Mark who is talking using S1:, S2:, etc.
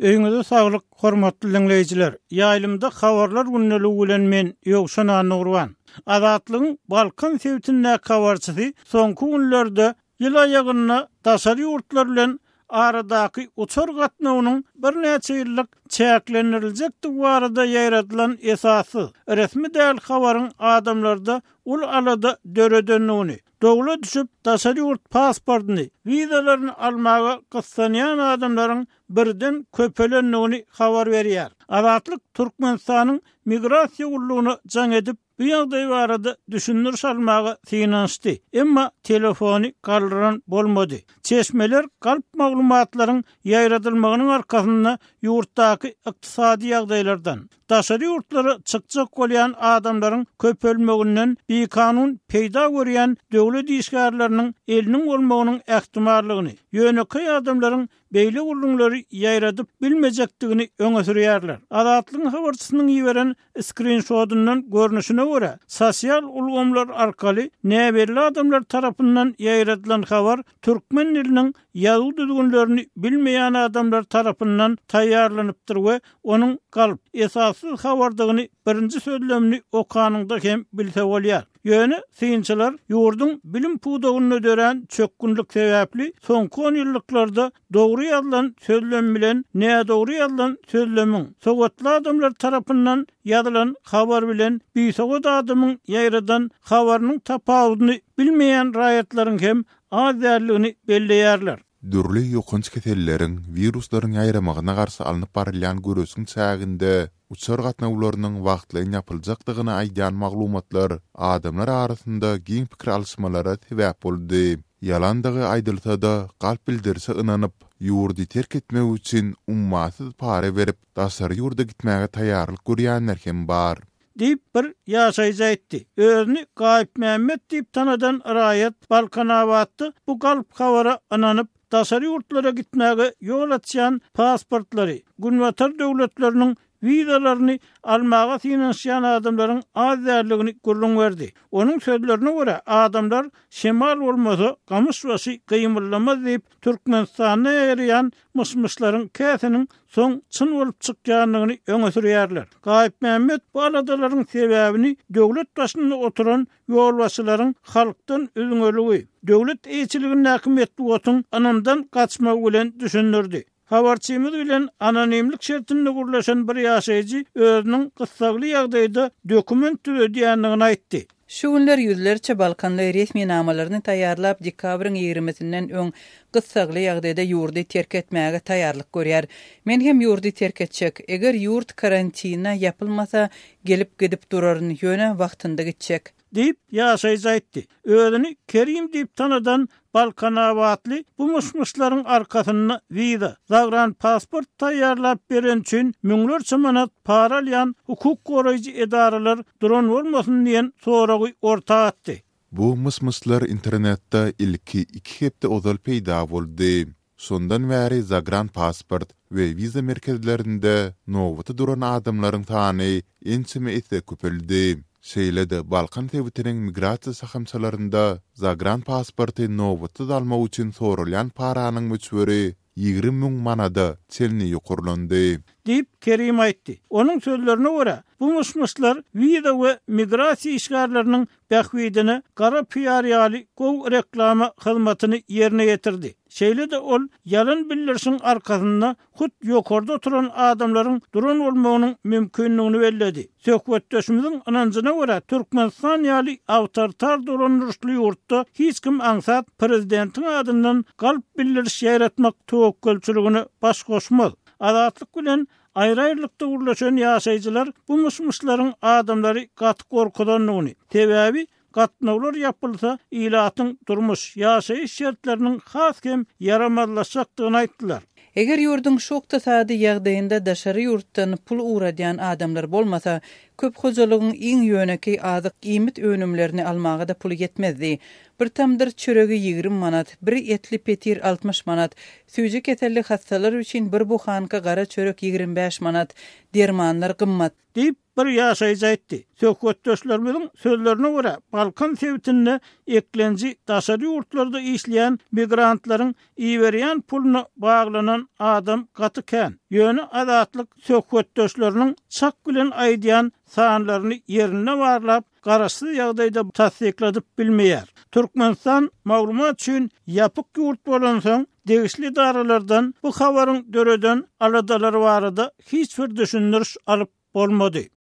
S1: Öýüňize saglyk, hormatly diňleýjiler! Ýaýlymda Habarlar gündeligi bilen men, Ýowşan Annagurban. Azatlygyň Balkan sebitindäki habarçysy soňky günlerde ýyl aýagynda daşary ýurtlar bilen aradaky uçar gatnawynyň birnäçe ýyllyk çäklendiriljekdigi barada ýaýradylan esassyz, resmi däl habaryň adamlarda uly alada döredendigini, Dowla düşüp, daşary ýurt pasportyny, wizalaryny almaga gyssanýan adamlaryň birden köpelendigini habar berýär. Azatlyk Türkmenistanyň Migrasiýa gullugyna jaň edip, bu ýagdaý barada düşündiriş almaga synanyşdy, emma telefony galdyran bolmady. Çeşmeler galp maglumatlaryň ýaýradylmagynyň arkasynda ýurtdaky ykdysady ýagdaýlardan, daşary ýurtlara çykjak bolýan adamlaryň köpelmeginden bikanun peýda görýän döwlet işgärleriniň eliniň bolmagynyň ähtimallygyny, ýönekeý adamlaryň beýle gürrüňleri ýaýradyp bilmejekdigini öňe sürýärler. Azatlygyň habarçysynyň iberen skrinşodyndan görnüşine görä, sosial ulgamlar arkaly näbelli adamlar tarapyndan ýaýradylan habar türkmen diliniň ýazuw düzgünlerini bilmeýän adamlar tarapyndan taýýarlanypdyr we onuň galp, esassyz habardygyny birinji sözlemini okanyňda hem bilse bolýar. Ýöne synçylar ýurduň bilim pudagynda dörän çökgünlik sebäpli soňky onýyllyklarda dogry ýazylan sözlem bilen nädogry ýazylan sözlemiň, sowatly adamlar tarapyndan ýazylan habar bilen bisowat adamyň ýaýradan habarynyň tapawudyny bilmeýän raýatlaryň hem az däldigini belleýärler.
S2: Dürli ýokanç keselleriň, wiruslaryň ýaýramagyna garşy alnyp barylýan göreşiň çäginde uçar gatnawlarynyň wagtlaýyn ýapyljakdygyny aýdýan maglumatlar adamlar arasynda giň pikir alyşmalara sebäp boldy. Ýalandygy aýdylsa-da, galp bildirişe ynanyp, ýurdy terk etmek üçin ummasyz para berip, daşary ýurda gitmäge taýýarlyk görýänler hem bar.
S1: Diýip, bir ýaşaýjy aýtdy. Özüni Gaýypmämmet diýip tanadan raýat Balkanabatda bu galp habara ynanyp, daşary ýurtlara gitmäge ýol açýan pasportlary, günbatar döwletleriniň wizalaryny almaga synanyşýan adamlaryň az däldigini gürrüň berdi. Onuň sözlerine görä, adamlar şemal bolmasa, gamyş başy gymyldamaz diýip, Türkmenistanda ýaýraýan myş-myşlaryň käsiniň soň çyn bolup çykýandygyny öňe sürýärler. Gaýypmämmet bu aladalaryň sebäbini döwlet başynda oturan ýolbaşçylaryň halkdan üzňeligi, döwlet eýeçiligindäki metbugatyň ynamdan gaçmagy bilen düşündirdi. Habarçymyz bilen anonimlik şertinde gürleşen bir ýaşaýjy özüniň gyssagly ýagdaýda dokument düzedýändigini aýtdy.
S3: Şu günler ýüzlerçe balkanly resminamalaryny taýýarlap, dekabryň ýigrimisinden öň gyssagly ýagdaýda ýurdy terk etmäge taýýarlyk görýär. Men hem ýurdy terk etjek. Eger ýurt karantine ýapylmasa, gelip-gidip duraryn, ýöne wagtynda gitjek.
S1: Diýip, ýaşaýjy aýtdy. Özüni Kerim diýip tanadan balkanabatly bu myş-myşlaryň arkasynda wiza, zagranpasport taýýarlap bereni üçin müňlerçe manat para alýan hukuk goraýjy edaralar duran bolmasyn diýen soragy orta atdy.
S2: Bu myş-myşlar internetde ilki iki hepde ozal peýda boldy. Şondan bäri zagranpasport we wiza merkezlerinde nobata duran adamlaryň sany ençeme esse köpeldi. Şeýle-de Balkan sebitiniň migrasiýa şahamçalarynda zagranpasporty nobatsyz almak üçin soralýan paranyň möçberi 20 müň manada çenli ýokarlandy.
S1: Diýip, Kerim aýtdy. Onuň sözlerine görä, bu myş-myşlar wiza we migrasiýa işgärleriniň bähbidine gara piar ýaly gowy reklama hyzmatyny ýerine ýetirdi. Şeýle-de ol ýalan bildirişiň arkasynda hut ýokarda oturan adamlaryň duran bolmagynyň mümkindigini belledi. Söhbetdeşimiziň ynanjyna görä, Türkmenistan ýaly awtoritar dolandyryşly ýurtda hiç kim aňsat prezidentiň adyndan galp bildiriş ýaýratmak töwekgelçiligine baş goşmaz. Azatlyk bilen Aýry-aýrylykda gürleşen ýaşaýjylar bu myş-myşlaryň adamlary gaty gorkuzandygyny, sebäbi gatnawlar ýapylsa, ilatyň durmuş, ýaşaýyş şertleriniň has hem ýaramazlaşjakdygyny aýtdylar.
S3: Eger ýurduň şu ykdysady ýagdaýynda daşary ýurtdan pul ugradýan adamlar bolmasa, köp hojalygyň iň ýönekeý azyk-iýmit önümlerini almaga-da puly ýetmezdi. Bir tamdyr çöregi 20 manat, bir etli petir 60 manat, süýji keselli hassalar üçin bir buhanka gara çörek 25 manat, dermanlar gymmat.
S1: Diýip, bir bir ýaşaýjy aýtdy. Söhbetdeşlerimiziň sözlerine görä, Balkan sebitinde eklenji daşary ýurtlarda işleýän migrantlaryň iberýän puluna baglanan adam gaty kän. Ýöne Azatlyk söhbetdeşleriniň çak bilen aýdýan sanlaryny ýerinde barlap, garaşsyz ýagdaýda tassykladyp bilmeýär. Türkmenistan maglumat üçin ýapyk ýurt bolansoň, degişli edaralardan bu habaryň döreden aladalary barada hiç bir düşündiriş alyp bolmady.